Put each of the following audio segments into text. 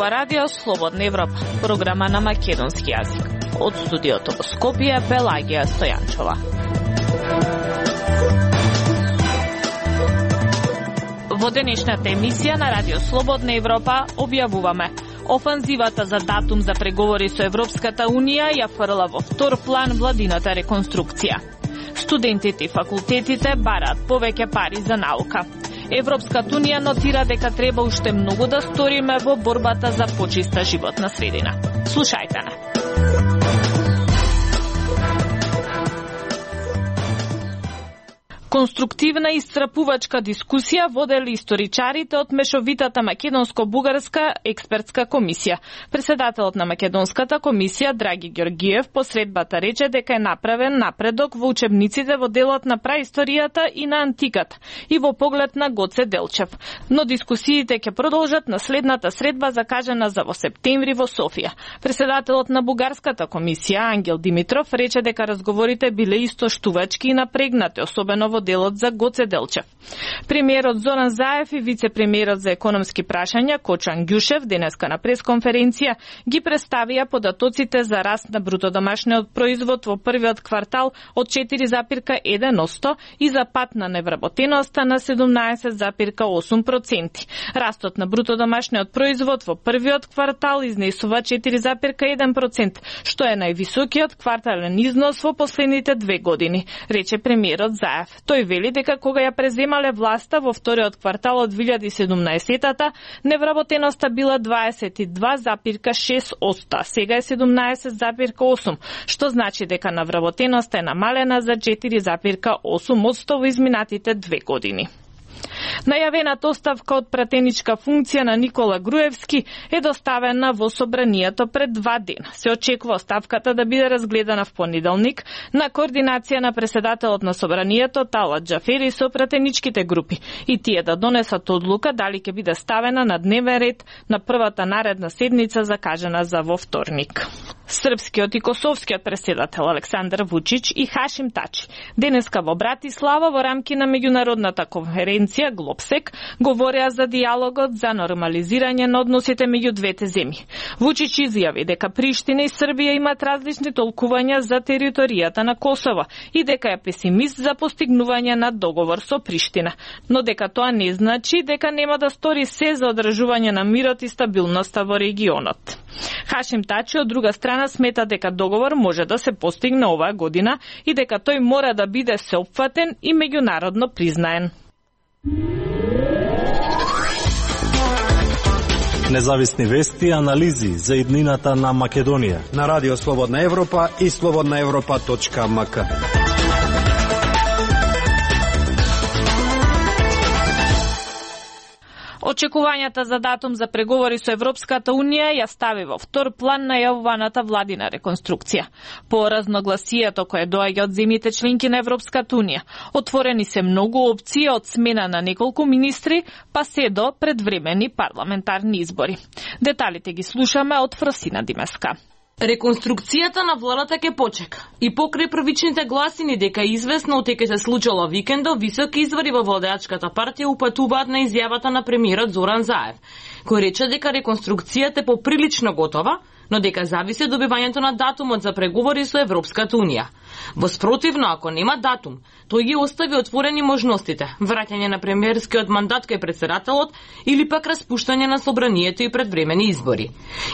зборува Радио Слободна Европа, програма на македонски јазик. Од студиото во Скопје, Пелагија Стојанчова. Во денешната емисија на Радио Слободна Европа објавуваме: офанзивата за датум за преговори со Европската Унија ја фрла во втор план владината реконструкција. Студентите и факултетите бараат повеќе пари за наука. Европската Унија нотира дека треба уште многу да сториме во борбата за почиста животна средина. Слушајте на. Конструктивна и исцрпувачка дискусија водели историчарите од мешовитата македонско-бугарска експертска комисија. Председателот на македонската комисија Драги Ѓоргиев по средбата рече дека е направен напредок во учебниците во делот на праисторијата и на антиката и во поглед на Гоце Делчев. Но дискусиите ќе продолжат на следната средба закажана за во септември во Софија. Председателот на бугарската комисија Ангел Димитров рече дека разговорите биле истоштувачки и напрегнати, особено во делот за Гоце Делчев. Премиерот Зоран Заев и вице-премиерот за економски прашања Кочан Ѓушев денеска на пресконференција ги представија податоците за раст на брутодомашниот производ во првиот квартал од 4,1% и за пат на невработеноста на 17,8%. Растот на брутодомашниот производ во првиот квартал изнесува 4,1%, што е највисокиот квартален износ во последните 2 години, рече премиерот Заев. Тој вели дека кога ја преземале власта во вториот квартал од 2017-та, невработеноста била 22,6%, сега е 17,8%, што значи дека невработеноста е намалена за 4,8% во изминатите 2 години. Најавената оставка од пратеничка функција на Никола Груевски е доставена во собранието пред 2 дена. Се очекува оставката да биде разгледана в понеделник на координација на председателот на собранието Талат Џафери со пратеничките групи и тие да донесат одлука дали ќе биде ставена на дневен ред на првата наредна седница закажана за во вторник. Српскиот и косовскиот преседател Александар Вучич и Хашим Тачи денеска во Братислава во рамки на меѓународната конференција Глобсек говореа за диалогот за нормализирање на односите меѓу двете земји. Вучич изјави дека Приштина и Србија имаат различни толкувања за територијата на Косово и дека е песимист за постигнување на договор со Приштина, но дека тоа не значи дека нема да стори се за одржување на мирот и стабилноста во регионот. Хашим Тачи од друга страна смета дека договор може да се постигне оваа година и дека тој мора да биде сеопфатен и меѓународно признаен. Независни вести и анализи за иднината на Македонија на Радио Слободна Европа и slobodnaevropa.mk. Очекувањата за датум за преговори со Европската Унија ја стави во втор план најавуваната владина реконструкција. По разногласието кое доаѓа од земјите членки на Европската Унија, отворени се многу опции од смена на неколку министри, па се до предвремени парламентарни избори. Деталите ги слушаме од Фросина Димеска. Реконструкцијата на владата ќе почека. И покрај првичните гласини дека известно дека се случило викендо, високи извори во владеачката партија упатуваат на изјавата на премиерот Зоран Заев, кој рече дека реконструкцијата е поприлично готова, но дека зависи од добивањето на датумот за преговори со Европската Унија. Воспротивно, ако нема датум, тој ги остави отворени можностите: враќање на премиерскиот мандат кај председателот или пак распуштање на собранието и предвремени избори.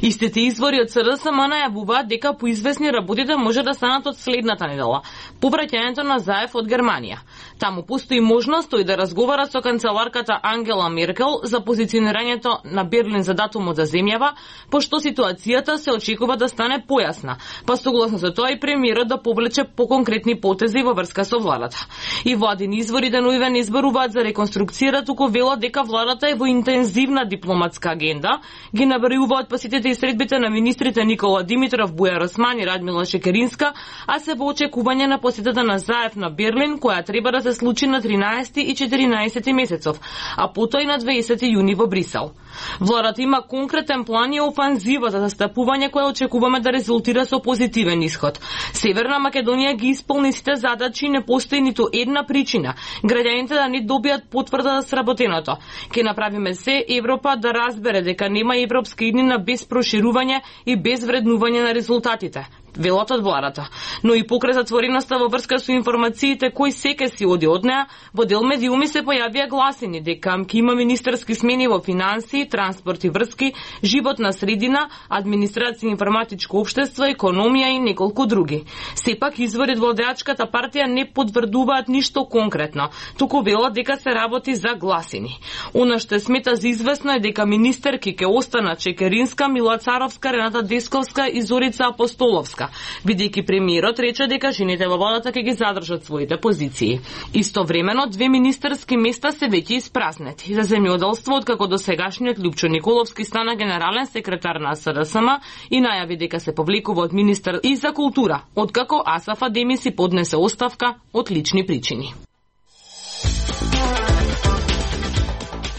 Истите извори од СДСМ најавуваат дека по известни работите може да станат од следната недела, по враќањето на Заев од Германија. Таму постои можност тој да разговара со канцеларката Ангела Меркел за позиционирањето на Берлин за датумот за земјава, пошто ситуацијата се очекува да стане појасна, па согласно со тоа и премиерот да повлече по конкретни потези во врска со владата. И владини извори деновиве не изборуваат за реконструкција, туку велат дека владата е во интензивна дипломатска агенда, ги набројуваат посетите и средбите на министрите Никола Димитров, Бујар Осман и Радмила Шекеринска, а се во очекување на посетата на Заев на Берлин, која треба да се случи на 13 и 14 месецов, а потоа и на 20 јуни во Брисел. Владата има конкретен план и офанзива за застапување која очекуваме да резултира со позитивен исход. Северна Македонија ги исполни сите задачи и не постои ниту една причина граѓаните да не добијат потврда за сработеното. Ке направиме се Европа да разбере дека нема европска иднина без проширување и без вреднување на резултатите. Велат од владата. Но и покрај затвореноста во врска со информациите кој секе си оди од неа, во дел медиуми се појавија гласини дека ќе има министерски смени во финансии, транспорт и врски, животна средина, администрација, информатичко општество, економија и неколку други. Сепак извори од владеачката партија не потврдуваат ништо конкретно, туку велат дека се работи за гласини. Она што смета за известно е дека министерки ќе останат Чекеринска, Мила Царовска, Рената Десковска и Зорица Апостоловска, бидејќи премиерот рече дека жените во владата ќе ги задржат своите позиции. Истовремено, 2 министерски места се веќе испразнети. За земјоделство, откако до сегашниот Љупчо Николовски стана генерален секретар на СДСМ и најави дека се повлекува од министер и за култура, откако Асаф Адеми си поднесе оставка од лични причини.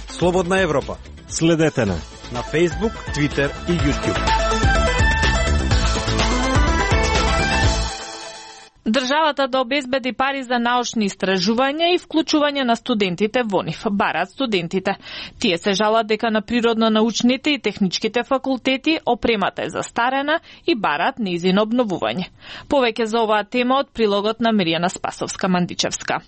Слободна Европа. Следете на Facebook, Twitter и YouTube. Државата да обезбеди пари за научни истражувања и вклучување на студентите во нив, бараат студентите. Тие се жалат дека на природно-научните и техничките факултети опремата е застарена и бараат нејзино обновување. Повеќе за оваа тема од прилогот на Миријана Спасовска-Мандичевска.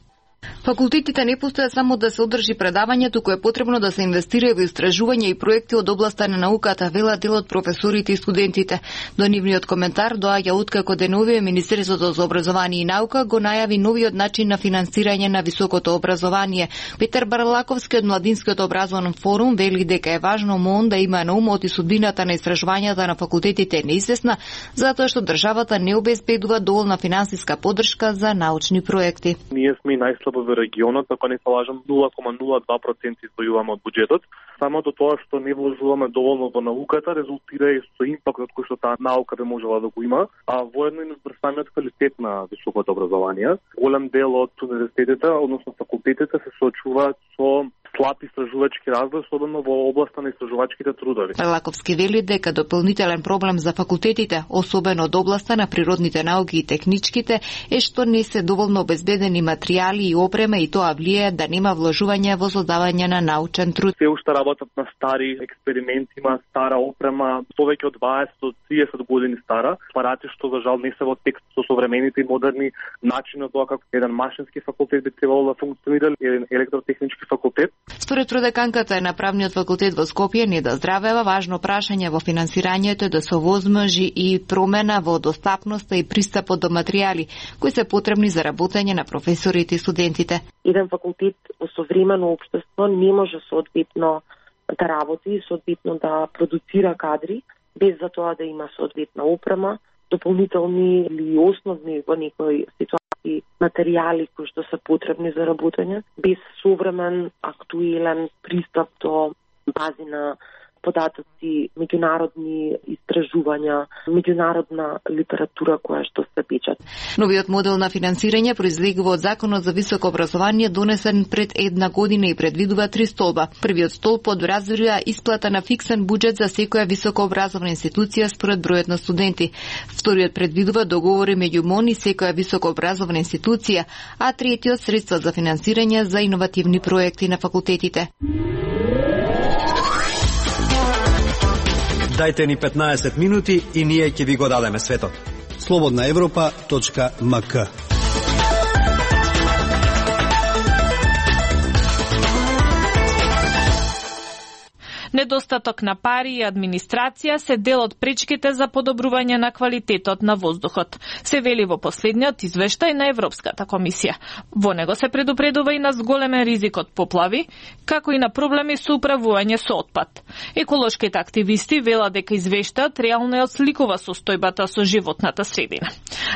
Факултетите не постојат само да се одржи предавање, туку е потребно да се инвестира во истражување и проекти од областа на науката, велат дел од професорите и студентите. До нивниот коментар доаѓа откако деновиве Министерството за образование и наука го најави новиот начин на финансирање на високото образование. Петер Барлаковски од Младинскиот образовен форум вели дека е важно МОН да има на умот и судбината на истражувањата на факултетите неизвестна, затоа што државата не обезбедува доволна финансиска поддршка за научни проекти. Ние сме најслабо во регионот, ако не се лажам, 0,02% издвојуваме од буџетот. Самото тоа што не вложуваме доволно во науката резултира и со импактот кој што таа наука би можела да го има, а воедно и на самиот квалитет на високото образование. Голем дел од универзитетите, односно факултетите, се соочуваат со слаб истражувачки развој, особено во областа на истражувачките трудови. Лаковски вели дека дополнителен проблем за факултетите, особено од областа на природните науки и техничките, е што не се доволно обезбедени материјали и опрема и тоа влијае да нема вложување во создавање на научен труд. Се уште работат на стари експерименти, има стара опрема, повеќе од 20 до 30 години стара, апарати што за жал не се во текст со современите и модерни начини од тоа како еден машински факултет би требало да функционира, еден електротехнички факултет. Според продеканката на правниот факултет во Скопје, не да здравева, важно прашање во финансирањето е да се овозможи и промена во достапноста и пристапот до материјали кои се потребни за работење на професорите и студентите. Еден факултет во современо општество не може соодветно да работи и соодветно да продуцира кадри без за тоа да има соодветна опрема, дополнителни или основни во некои ситуации материјали кои што се потребни за работење, без современ, актуелен пристап до бази на податоци, меѓународни истражувања, меѓународна литература која што се печат. Новиот модел на финансирање произлегува од Законот за високо образование донесен пред една година и предвидува 3 столба. Првиот столб одразбира исплата на фиксен буџет за секоја високообразовна институција според бројот на студенти. Вториот предвидува договори меѓу МОН и секоја високообразовна институција, а третиот средства за финансирање за иновативни проекти на факултетите. Дајте ни 15 минути и ние ќе ви го дадеме светот. slobodnaevropa.mk Недостаток на пари и администрација се дел од пречките за подобрување на квалитетот на воздухот, се вели во последниот извештај на Европската комисија. Во него се предупредува и на зголемен ризик од поплави, како и на проблеми со управување со отпад. Еколошките активисти велат дека извештајот реално ја отсликува состојбата со животната средина.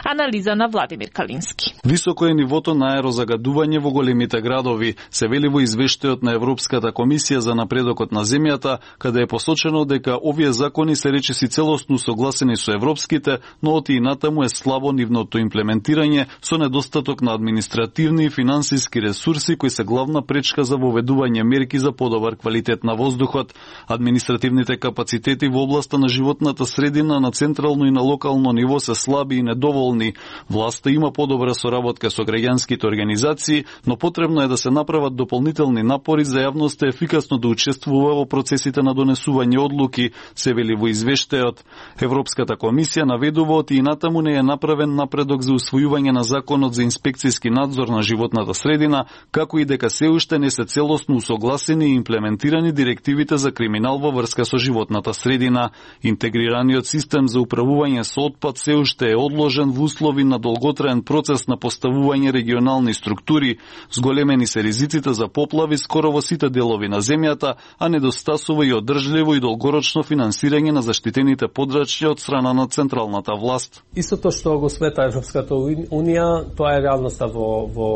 Анализа на Владимир Калински. Високо е нивото на аерозагадување во големите градови, се вели во извештајот на Европската комисија за напредокот на земјата, каде е посочено дека овие закони се речиси целосно согласени со европските, но оти и натаму е слабо нивното имплементирање со недостаток на административни и финансиски ресурси кои се главна пречка за воведување мерки за подобар квалитет на воздухот. Административните капацитети во областа на животната средина на централно и на локално ниво се слаби и недоволни. Власта има подобра соработка со граѓанските организации, но потребно е да се направат дополнителни напори за јавноста ефикасно да учествува во процесите на донесување одлуки, се вели во извештајот. Европската комисија наведува оти и натаму не е направен напредок за усвојување на законот за инспекцијски надзор на животната средина, како и дека се уште не се целосно усогласени и имплементирани директивите за криминал во врска со животната средина. Интегрираниот систем за управување со отпад се уште е одложен во услови на долготраен процес на поставување регионални структури, зголемени се ризиците за поплави скоро во сите делови на земјата, а недостасува и одржливо и долгорочно финансирање на заштитените подрачја од страна на централната власт. Истото што го смета Европската унија, тоа е реалноста во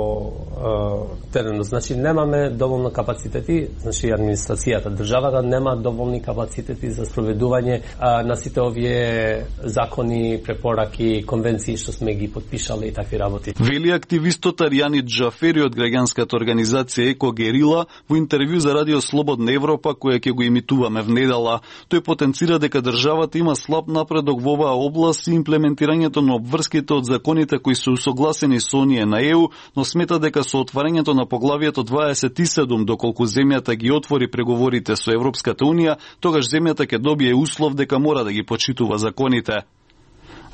теренот. Значи немаме доволно капацитети, значи администрацијата, државата нема доволни капацитети за спроведување на сите овие закони, препораки, конвенции што сме ги подпишале и такви работи. Вели активистот Аријани Джафери од граѓанската организација Еко Герила во интервју за Радио Слободна Европа, која ќе го имитуваме внедела. Тој потенцира дека државата има слаб напредок во оваа област и имплементирањето на обврските од законите кои се усогласени со оние на ЕУ, но смета дека со отварањето на поглавието 27, доколку земјата ги отвори преговорите со Европската унија, тогаш земјата ќе добие услов дека мора да ги почитува законите.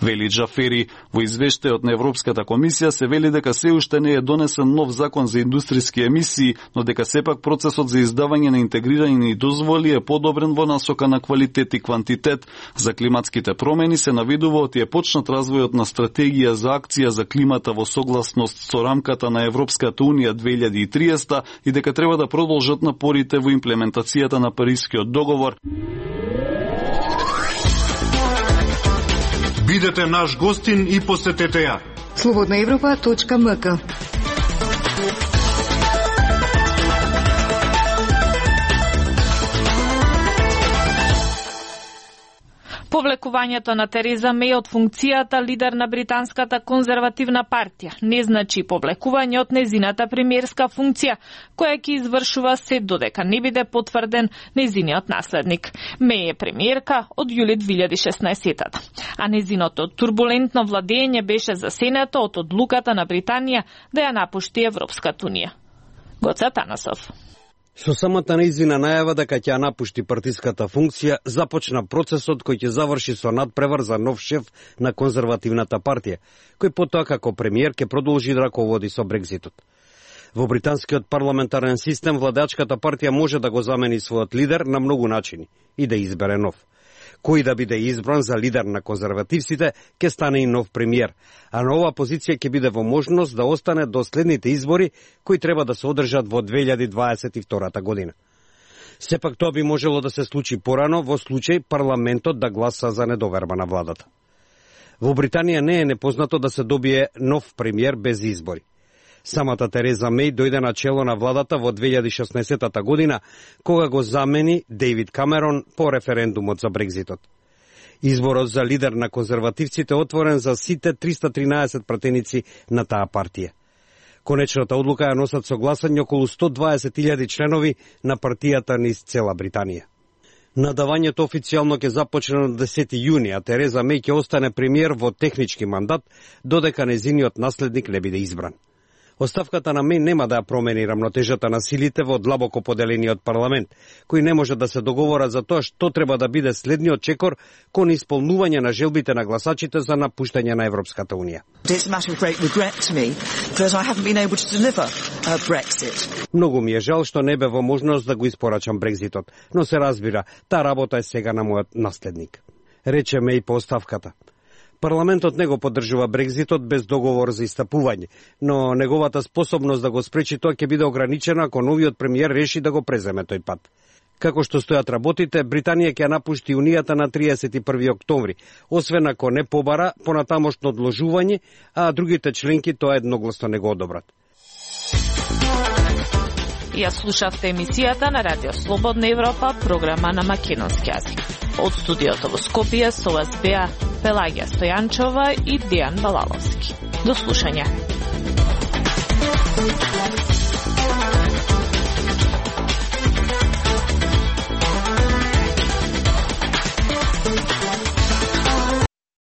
Вели Джафери, во извештајот на Европската комисија се вели дека се уште не е донесен нов закон за индустријски емисии, но дека сепак процесот за издавање на интегрирани дозволи е подобрен во насока на квалитет и квантитет. За климатските промени се наведува оти е почнат развојот на стратегија за акција за климата во согласност со рамката на Европската унија 2030 и дека треба да продолжат напорите во имплементацијата на Парискиот договор. Бидете наш гостин и посетете ја. slobodnaevropa.mk. Повлекувањето на Тереза Меј од функцијата лидер на британската конзервативна партија не значи повлекување од незината премиерска функција, која ќе извршува се додека не биде потврден незиниот наследник. Меј е премиерка од јули 2016-та, а незиното турбулентно владење беше засенето од одлуката на Британија да ја напушти Европската унија. Гоце Танасов. Со самата нејзина најава дека ќе ја напушти партиската функција, започна процесот кој ќе заврши со надпревар за нов шеф на конзервативната партија, кој потоа како премиер ќе продолжи да раководи со Брекзитот. Во британскиот парламентарен систем владеачката партија може да го замени својот лидер на многу начини и да избере нов. Кој да биде избран за лидер на конзервативците, ќе стане и нов премиер, а на оваа позиција ќе биде во можност да остане до следните избори, кои треба да се одржат во 2022 година. Сепак тоа би можело да се случи порано во случај парламентот да гласа за недоверба на владата. Во Британија не е непознато да се добие нов премиер без избори. Самата Тереза Меј дојде на чело на владата во 2016 година, кога го замени Дејвид Камерон по референдумот за Брекзитот. Изборот за лидер на конзервативците е отворен за сите 313 пратеници на таа партија. Конечната одлука ја носат со гласање околу 120.000 членови на партијата низ цела Британија. Надавањето официјално ќе започне на 10 јуни, а Тереза Меј ќе остане премиер во технички мандат, додека незиниот наследник не биде избран. Оставката на Меј нема да ја промени рамнотежата на силите во длабоко поделениот парламент, кои не може да се договорат за тоа што треба да биде следниот чекор кон исполнување на желбите на гласачите за напуштање на Европската унија. Многу ми е жал што не бе во можност да го испорачам Брекзитот, но се разбира, таа работа е сега на мојот наследник, рече Меј по оставката. Парламентот не го поддржува Брекзитот без договор за истапување, но неговата способност да го спречи тоа ќе биде ограничена ако новиот премиер реши да го преземе тој пат. Како што стојат работите, Британија ќе напушти Унијата на 31 октомври, освен ако не побара понатамошно одложување, а другите членки тоа едногласно не го одобрат. Ја слушавте емисијата на Радио Слободна Европа, програма на македонски јазик. Од студиото во Скопје со вас беа Пелагија Стојанчова и Дијан Балаловски. До слушање.